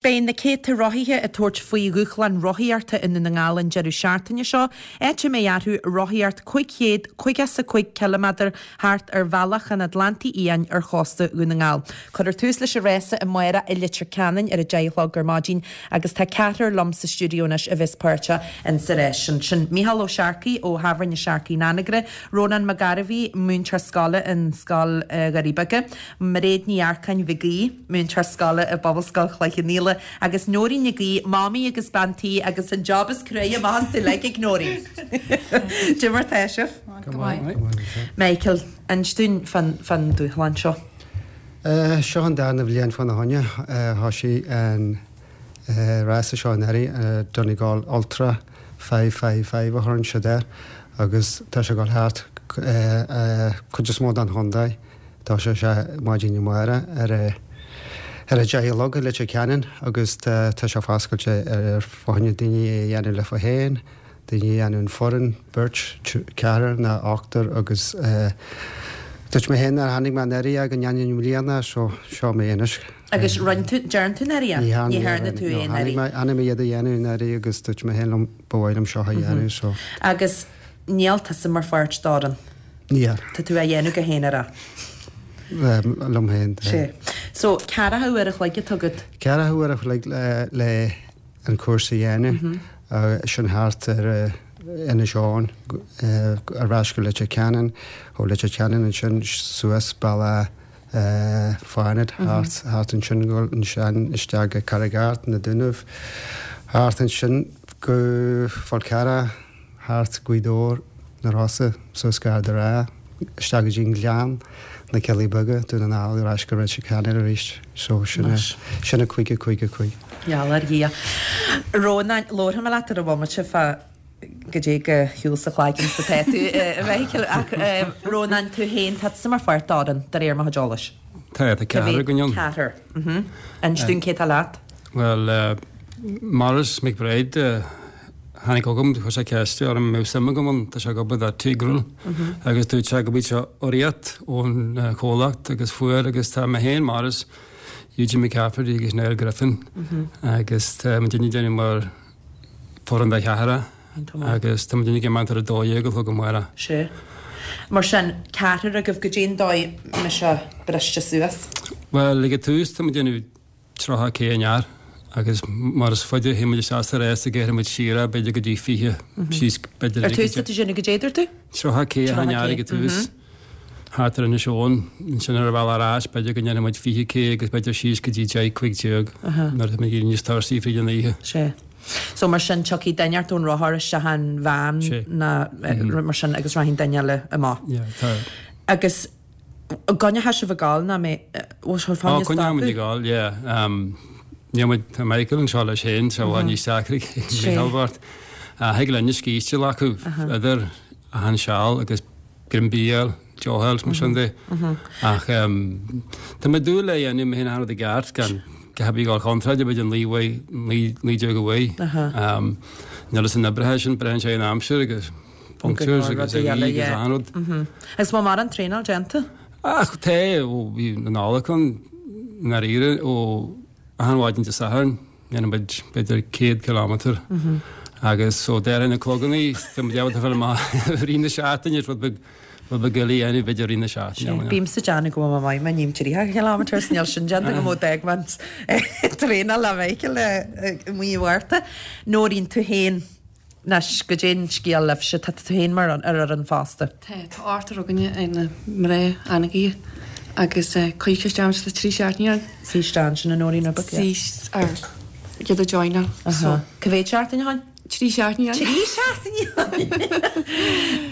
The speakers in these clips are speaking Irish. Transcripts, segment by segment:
Beidh na céadta rothaithe ag tabhairt faoi dhúshlán rothaíochta i nDún na nGall an deireadh seachtaine seo, áit a mbeidh orthu rothaíocht 555 ciliméadar thart ar Bhealach an Atlantaigh Fhiáin ar chósta Dhún na nGall. Cuirfear tús leis an rása amárach i Leitir Ceanainn ar 10 a chlog ar maidin agus tá ceathrar liom sa stiúideo anois a bheas páirteach in sa rás sin. Sin Micheál Ó Searcaigh ó Thábhairne Searcaigh in Anagaire, Rónán Mac Gairbhí, múinteoir scoile in Scoil Dhoirí Beaga, Mairéad Ní Earcáin Mhig Aoidh, múinteoir scoile i bPobalscoil Chloich Cheann Fhaola, agus Nóirín Nic Aoidh, mamaí agus bean tí agus an job is cruaidhe amach astu uilig ag Nóirín. Cad é mar tá sibh? Go maith. Michael, inis dúinn fán dúshlán seo. Seo an darna bhliain fána choinne. Thoisigh an rása seo anuraidh, Donegal Ultra 555 a chuireann siad air, agus tá sé ag dul thart cuid is mó den chontae. Tosóidh sé maidin amárach ar a ar a 10 a chlog i Leitir Ceanainn agus tá tá sé foscailte ar fá choinne daoine é a dhéanamh leofa féin, daoine a dhéanamh in foireann, beirt, ceathrar ná ochtar agus dúirt mé féin nuair a tháinig mé anuraidh é go ndéanfainn i mbliana so seo mé anois. Agus rinne tú, dearn tú anuraidh é? Ní dhearna Ní dhearna tú é anuraidh. Tháinig mé tháinig mé iad a dhéanamh anuraidh agus dúirt mé féin liom ba mhaith liom seo a dhéanamh so. Agus níl tusa mar pháirt d'fhoireann? Níl. Tá tú á dhéanamh go haonarach. Liom féin. Sea. So, ceathracha uair a chloig atá agat. Ceathracha uair a chloig le an cúrsa a dhéanamh. Sin thart ar Inis Eoghain, ar ais go Leitir Ceanainn, ó Leitir Ceanainn ansin suas bealach Fánaid, thart ansin go ansin isteach go Carraig Art, na Dúnaibh, thart ansin go Fál Carrach, thart Gaoth Dobhair, na Rosa, suas go Ard a' Rátha, isteach go dtí an Gleann, na Cillí Beaga, Dún na nGall, ar ais go Leitir Ceanainn arís. So sin é, sin é 5, 5, 5. Gheall ar Dhia. Rónán, labharfaidh mé leat ar an bhomaite fá goidé de shiúl sa chlaigeann is atá tú, a Mhichíl, ach Rónán, tú féin, tá tusa mar pháirt d'fhoireann, de réir mo chuid eolais. Tá, tá ceathrar againn ann. Ceathrar. Inis dúinn cé tá leat. Bhuel, Maurice McBride, tháinig chugam, chuir sé ceist orm an mbeadh suim agam ann, tá sé ag obair do Tigral agus dúirt sé go bhfuil sé urraíocht ón chomhlacht agus fuair agus tá mé féin, Maurice, Eugene McCafferty agus Niall Griffin agus tá muidinne ag déanamh mar foireann de cheathrar agus tá muidinne ag imeacht ar a 12 a chlog amárach. Sea. Mar sin, ceathrar agaibh, goidé an dóigh a mbeidh sé briste suas? Bhuel, ag an tús tá muid ag déanamh 30 K an fhear agus mar is faide a théann muid isteach sa rás go gceithre muid siar é b'fhéidir go dtí 20 síos b'fhéidir Ar tús tá tú ag déanamh goidé a dúirt tú? 30 K an fhear ag an tús thart ar Inis Eoghain ansin ar an bhealach ar ais b'fhéidir go ndéanfaidh muid 20 K agus b'fhéidir síos go dtí 10 15 nuair atá muid ag éirí níos tuirsigh fríd an oíche. Sea. So mar sin tiocfaidh duine ort ón rothar isteach an veain ná rud mar sin agus rachaidh duine eile amach. Yeah, tá. Agus An gcoinneoidh sibh ag gabháil ná mé bhfuil sé fáinne stopadh? Coinneoidh muid ag gabháil, yeah. Níl muid, tá Michael anseo leis féin, so bhfuil níos deacra ag Micheál bocht. Thig linn scíste a ghlacadh idir achan seal agus greim bídh a fháil, deoch a fháil, mar sin de. Ach tá mé ag dúil le a dhéanamh mé féin achan rud i gceart gan go habaí ag gabháil contráilte b'fhéidir 19 19 uaidh. Níl fhios na n-oibrithe sin, braitheann sé ar an aimsir agus punctures agus a bhí agus achan rud. Agus bhfuil mórán traenáil déanta? Ach tá, ó bhí na Nollag ann, i ndáiríre, ó achan mhaidin Dé Sathairn, dhéanann muid b'fhéidir 100 kilometre agus ó déarfainn na clogannaí, tá muid ábalta fáil amach i rith na seachtaine, rud beag, rud beag eile a dhéanamh b'fhéidir i rith na seachtaine. Bímse ag déanamh go bhfuil mé maith, má ním 30 kilometres, níl sin déanta agam ó d'fhág mé an traenáil le Michael i mí Mhárta. Nóirín, tú féin. Anois, goidé an scéal libhse, tá tú féin mar ar fhoireann fosta. Tá, tá ochtar againne ar na mná Anagaire agus cuirfidh isteach ansin 3 seachtaine ann. Suigh isteach ansin a Nóirín rud beag, yeah. Suigh ar iad a joináil so. Cá mhéad seachtain ó shin? 3 seachtaine ann. 3 seachtaine ann!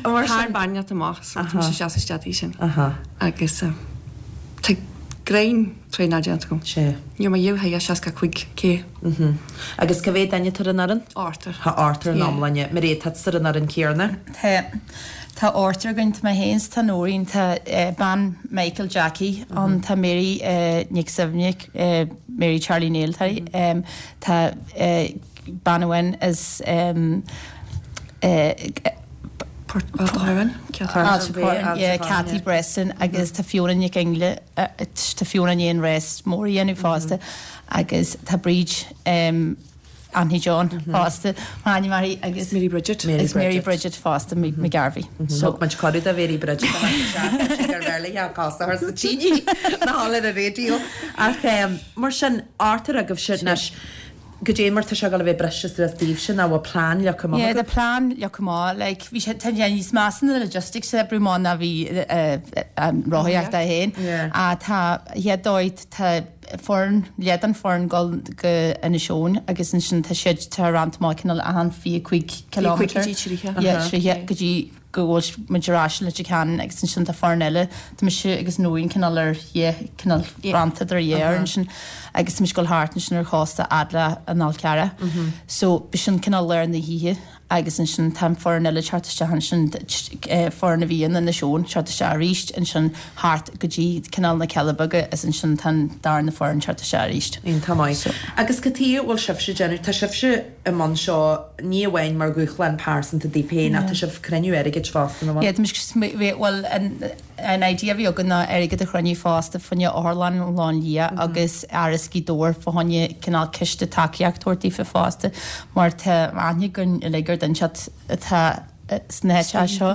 Mar sin. Thar bainneacht amach so tá mise seasta isteach dtí sin. Agus tá greim traenáil déanta agam. Sea. Níl mé dhíobh thigh 65 K. Agus cá mhéad duine atá ar an fhoireann? Ochtar. Tá ochtar in iomláine. Mairéad, tá tusa ar an fhoireann céanna? Tá. Tá ochtar againn. Tá mé féin 's tá Nóirín, tá bean Michael, Jackie, ann, tá Mary Nic Suibhne, Mary Charlie Néill, tá bean amháin as. Cathy Breslin agus tá Fiona Nic Fhionnghaile, tá Fiona i ndiaidh an rás mór a dhéanamh fosta agus tá Bríd Anthony John fosta, m'ainm uirthi agus Mary Bridget. Agus Mary Bridget fosta McGarvey. So thug muid cuireadh do Mhary Bridget a bheith isteach ar bhearla a cosa thar sa tine na halla ar an raidió. Ach mar sin, ochtar agaibhse anois, Goidé mar tá sé ag dul a bheith briste suas daoibhse nó bhfuil plean leagtha amach Yeah, tá plean leagtha amach. Like, bhí sé, tá sé níos measa na logistics a oibriú amach ná bhí an rothaíocht é féin. Yeah. Ach tá, chéad dóigh, tá foireann, leath den foireann dul go Inis Eoghain agus ansin tá siad, tá rannta amach cineál achan 25 kilometre. 25 go dtí 30. Yeah, 30 go dtí go bhfuil muid ar ais i Leitir Ceanainn agus ansin tá foireann eile, tá mise agus Nóirín cineál ar dhá, cineál rannta idir dhá fhoireann ansin agus tá muid ag dul thart ansin ar chósta fhad le an Fhál Carrach. So b'shin cineál lár na hoíche agus ansin tá an foireann eile ag teacht isteach ansin, foireann a bhí in Inis Eoghain ag teacht isteach arís ansin thart go dtí cineál na Cealla Beaga is ansin tá an darna foireann ag teacht isteach arís. Iontach maith. Agus cad chuige a bhfuil sibhse ag déanamh, tá sibhse i mbun seo ní amháin mar dhúshlán pearsanta daoibh féin ach tá sibh ag cruinniú airgid fosta, nach bhfuil? Yeah, tá muid, bhuel an idea a bhí againn ná airgead a chruinniú fosta fá choinne Otharlann an Chlochán Liath agus Áras Ghaoth Dobhair fá choinne cineál ciste tacaíocht a thabhairt daofa fosta mar tá aithne againn uilig ar dhuine atá sna háiteacha seo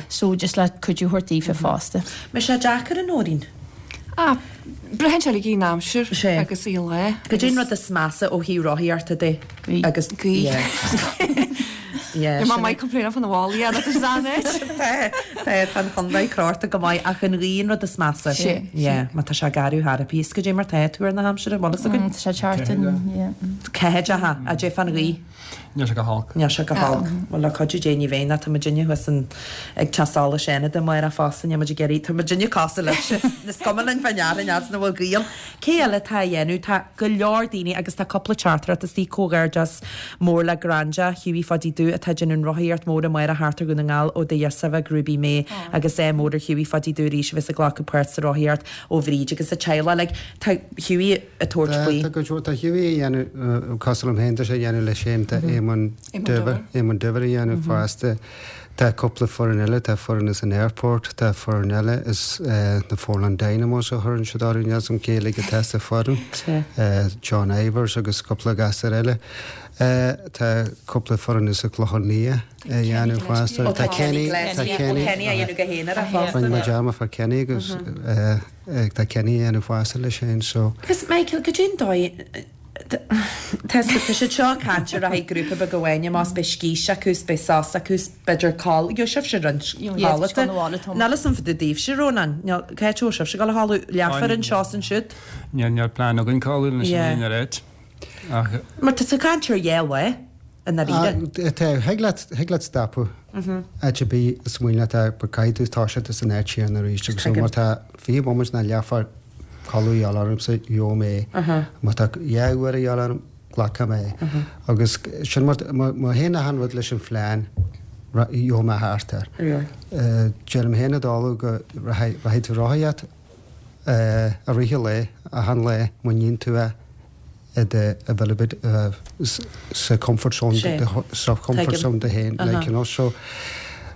so just le cuidiú a thabhairt daofa fosta. Mbeidh sé deacair a Nóirín? Ah, braitheann sé uilig ar an aimsir agus ar an lá. Goidé an rud is measa ó thaobh rothaíochta de? Gaoth. Agus Gaoth. Yeah. Tá mé maith complain fan na bhfáil, yeah, that is an it. Tá, tá, tá an chondae crochta go maith ach an ghaoth an rud is measa. Sé. Yeah, má tá sé garbh thar a píos, goidé mar tá tuar na haimsire, bhfuil fhios againn? Tá sé thart an, yeah. Ceathair, goidé fán ghaoth. Níl sé go holc. Níl sé go holc. Bhuel, le cuidiú Dé ní bheidh, ná tá muidinne thuas in, ag teach solais Fhánada amárach fosta, níl muid ag iarraidh, tá muidinne cosúil libhse, is cuma linn fá ndeara an fhad is nach bhfuil gaoth ann. Cé eile atá á dhéanamh? Tá go leor daoine agus tá cúpla teachtaireacht istigh, comhghairdeas mór le Granda, Hughie Pháidí Dubh atá ag déanamh an rothaíocht mór amárach thart ar Dhún na nGall ó Dé Dheirsaimhe go Ruby May agus ádh mór ar Hughie Pháidí Dubh arís a bheas ag glacadh páirt sa rothaíocht ó Bhríd agus a teaghlach. Like, tá Hughie. ag tabhairt faoi. Tá go leor, tá Hughie a dhéanamh, cosúil liom féin, tá sé a dhéanamh leis féin, tá Éamonn Diamhair, Éamonn Diamhair a dhéanamh fosta, tá cúpla foireann eile, tá foireann as an airport, tá foireann eile as na Foreland Dynamos a chuireann siad orthu, níl 'fhios a'm cé uilig atá sa foireann, John Ivers agus cúpla gasúr eile. Tá cúpla foireann as an Chlochán Liath a dhéanamh fosta. Tá Kenny, tá Kenny, Kenny a dhéanamh go haonarach fosta. Rinne muid dearmad fá Kenny agus. Tá Kenny a dhéanamh fosta leis féin so. Agus Michael, goidé an dóigh, tá siad seo ag caint ar rachaidh grúpa beag amháin amach 's beidh scíste acu 's beidh sos acu 's b'fhéidir codladh, gheobhaidh sibhse roinnt codlata. Níl fhios a'm fá dtaobh daoibhse, Rónán, níl, cá háit a bhfuil sibhse ag dul a chodladh, leathuair anseo 's ansiúd? Níl, níl plean againn codladh anois in aon áit ach. Mar tá tú ag caint ar dhá lá. i ndáiríre. Tá, thig leat, thig leat stopadh áit ar bith is mian leat but caithfidh tú toiseacht as an áit chéanna arís agus má tá 20 bomaite ná leathuair codladh a dhíobháil ormsa, gheobhaidh mé é. Má tá dhá uair a dhíobháil orm, glacfaidh mé é. Agus sin mar, má théann achan rud leis an phlean, gheobhaidh mé thart air. Deirim féin i dtólamh go rachaidh tú rothaíocht i rith an lae, achan lá, má níonn tú é. i do available sa comfort zone sa comfort zone do féin like you know so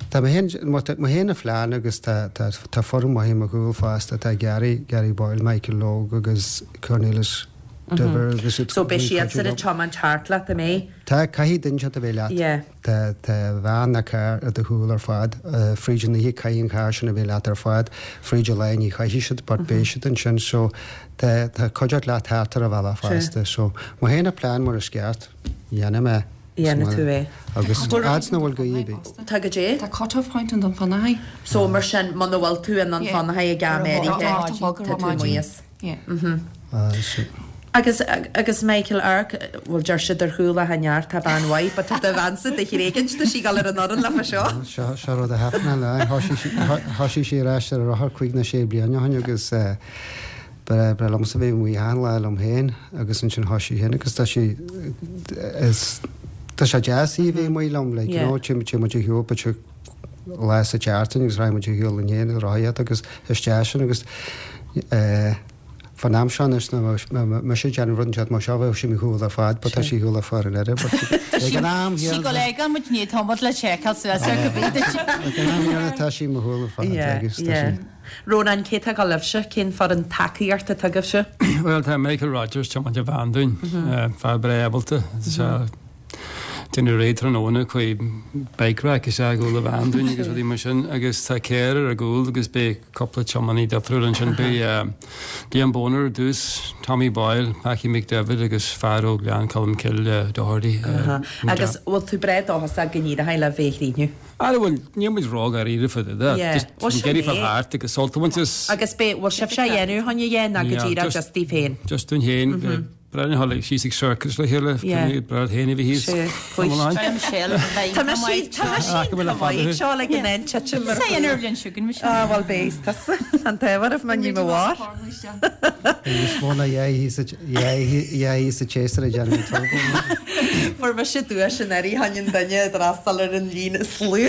tá mé féin tá mé féin a phlean agus tá tá tá foireann maith i mo chúl fosta tá Gary Gary Boyle Michael Logue agus Cornelius Diver agus So beidh siadsan ag tiomáint thart leat an mbeidh? Tá caithfidh duine inteacht a bheith leat. Yeah. Tá tá veain nó carr i do chúl ar fad. Fríd an oíche caithfidh an carr sin a bheith leat ar fad. Fríd an lá ní chaithfidh siad but beidh siad ansin so tá tá cuideachta leat thart ar an bhealach fosta. So má théann an plean mar is ceart, dhéanfaidh mé. Dhéanfaidh tú é. Agus fhad 's nach bhfuil gaoth ar bith. Tá goidé? Tá cut off point in Dún Fionnachaidh. So mar sin muna bhfuil tú in Dún Fionnachaidh ag am áirithe tá tú amuigh as. Agus, agus Michael Ark, bhuel deir siad ar chúl Átha Neart tá bean mhaith, but tá do bheansa do thréigint, tá sí ag dul ar an fhoireann leofa seo. Seo, seo rud a theip mé le, thoisigh sí ar ais ar a rothar cúig nó sé bliana ó shin agus ba bhreá liomsa bheith amuigh achan lá liom féin agus ansin thoisigh féin agus tá sí, is, tá sé deas í a bheith amuigh liom, like, you know, téann muid ar shiúl, but lá sa tseachtain agus rachaidh muid ar shiúl linn féin ag rothaíocht agus isteach sin agus eh. Fán am seo anois dá mbeadh mise ag déanamh rud inteacht mar seo bheadh sí mo shiúl ar fad but tá sí shiúl ar fad an oiread but ag an am Sí go léigeann muid ní tá muid le seiceáil suas ar go bhí duit. Ag an am chéanna tá sí mo shiúl ar fad agus tá sí. Rónán, cé atá ag dul libhse? Cén foireann tacaíochta atá agaibhse? Bhuel tá Michael Rogers tiomáint an veain dúinn, fear breá ábalta. Déanamh réidh tráthnóna chuaigh bike rack isteach i gcúl an veain dúinn agus rudaí mar sin agus tá Ciara ar an gcúl agus beidh cúpla tiománaí difriúil ansin. Beidh Liam Boner ar dtús, Tommy Boyle, Packie McDevitt agus fear ó Ghleann Cholm Cille, Doherty. Agus bhfuil tú breá dóchasach go n-éireoidh libh é a chríochnú? Ara bhuel, níl muid ró-dháiríre fá dtaobh de. Yeah. Just Bhuel, sin ag iarraidh fáil é. thart agus sult a bhaint as. Agus beidh, bhfuil sibhse á dhéanamh chun a dhéanamh ná go díreach just just daoibh féin? Just dúinn féin. Breá linn a dhul síos ag circus le chéile, breá féin a bhí thíos. Tá mise tá mise chomh maith seo le go ndéan titim mar Ah bhuel beidh tusa an t-ábhar of my ní mo mhár. Níos mó ná dhá thíos sa tséasúr ag déanamh an tógáil. Fuair mise duais anuraidh tháinig an duine a d'fhreastail ar an líon is lú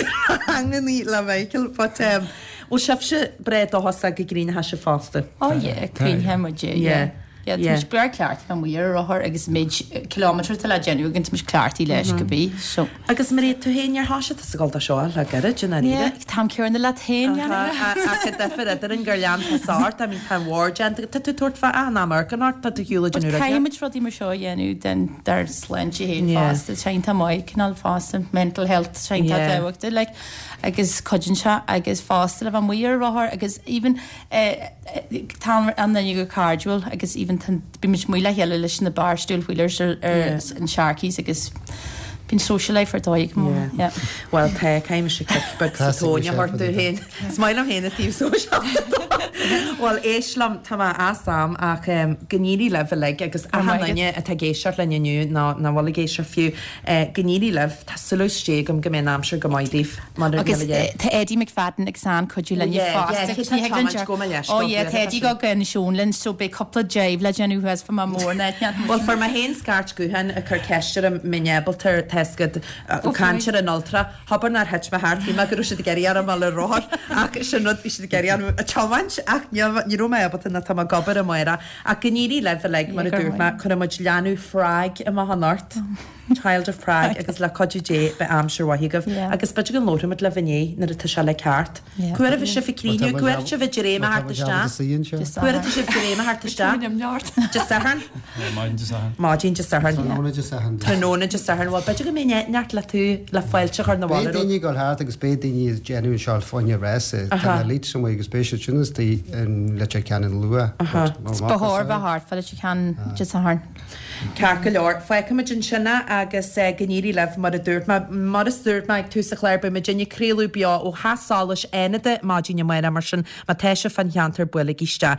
ranganna le Michael but bhfuil sibhse breá dóchasach go gcríochnóidh sibh fosta? Oh yeah, críochnóidh muid é, yeah. Yeah, tá muid breá cleachtaithe amuigh ar an rothar agus an méid kilometre atá le déanamh againn, tá muid cleachtaithe leis go bí, so. Agus Mairéad, tú féin, ar thoisigh tusa ag dul do seo le gairid, i ndáiríre? Yeah, tá an céanna leat féin, Yannick. Ach an difear eadrainn gur lean tusa ort, I mean, tá an mhór déanta agat, tá tú ag tabhairt fá achan am amharc ort, tá tú ar shiúl ag déanamh But caithfidh muid rudaí mar seo a dhéanamh den, dár sláinte féin fosta, tá sé iontach maith, cineál fosta, mental health, tá sé iontach tábhachtach, like, agus cuidíonn sé agus fosta le bheith amuigh ar an rothar agus even, Tá an duine go cairdiúil agus even tá bímid amuigh le chéile leis na Barstool Wheelers ar an Sharkies agus bíonn social life ar dóigh go maith. Yeah. Bhuel tá, caithfidh mise cic beag sa tóin a thabhairt domh féin. Is maith liom féin an taobh sóisialta dó. Bhuel éist liom, tá mé as am ach go n-éirí libh uilig agus achan duine atá ag éisteacht linn inniu nó nach bhfuil ag éisteacht fiú, go n-éirí libh. Tá súil istigh agam go mbeidh an aimsir go maith daoibh. Agus tá Eddie McFadden agus an-chuidiú linn fosta. Ó yeah, tá Eddie go go Inis Eoghain linn so beidh cúpla drive le déanamh thuas fá mór na Bhuel fuair mé féin scairt gutháin ag cur ceist orm mbeinn ábalta tá 'fhios agat caint ar an Ultra. Abair nár thit mé thart, shíl mé go raibh siad ag iarraidh orm a dhul ar rothar ach sin rud bhí siad ag iarraidh orm a tiomáint ach ní raibh mé ábalta nó tá mé ag obair amárach. Ach go n-éirí libh uilig mar a dúirt mé, cuirfidh muid leanbh Phrág amach anocht. Child of Prague agus le cuidiú Dé beidh aimsir mhaith agaibh agus b'fhéidir go labharfaimid libh inné nuair atá sé le ceart. Cá huair a bheidh sibh ag críochnú? Cá huair atá sibh ag dréim a theacht isteach? Cá huair atá sibh ag dréim a theacht isteach? Dé Sathairn? Maidin Dé Sathairn. Maidin Dé Sathairn. Tráthnóna Dé Sathairn. Tráthnóna Dé Sathairn. Bhuel b'fhéidir go mbeidh neart le tú le fáilte a chur 'na bhaile Beidh daoine ag dul thart agus beidh daoine ag déanamh an seo fá choinne rása. Tá na elites amuigh agus beidh siad sin istigh in Leitir Ceanainn luath. Ba chóir bheith thart fá Leitir Ceanainn Dé Sathairn. Ceart go leor, fágfaimid ansin é agus go n-éirí libh mar a dúirt mé. Mar a dúirt mé ag tús an chláir, beidh muidinne ag craoladh beo ó Theach Solais Fhánada maidin amárach mar sin má tá sibh fán cheantar buailigí isteach.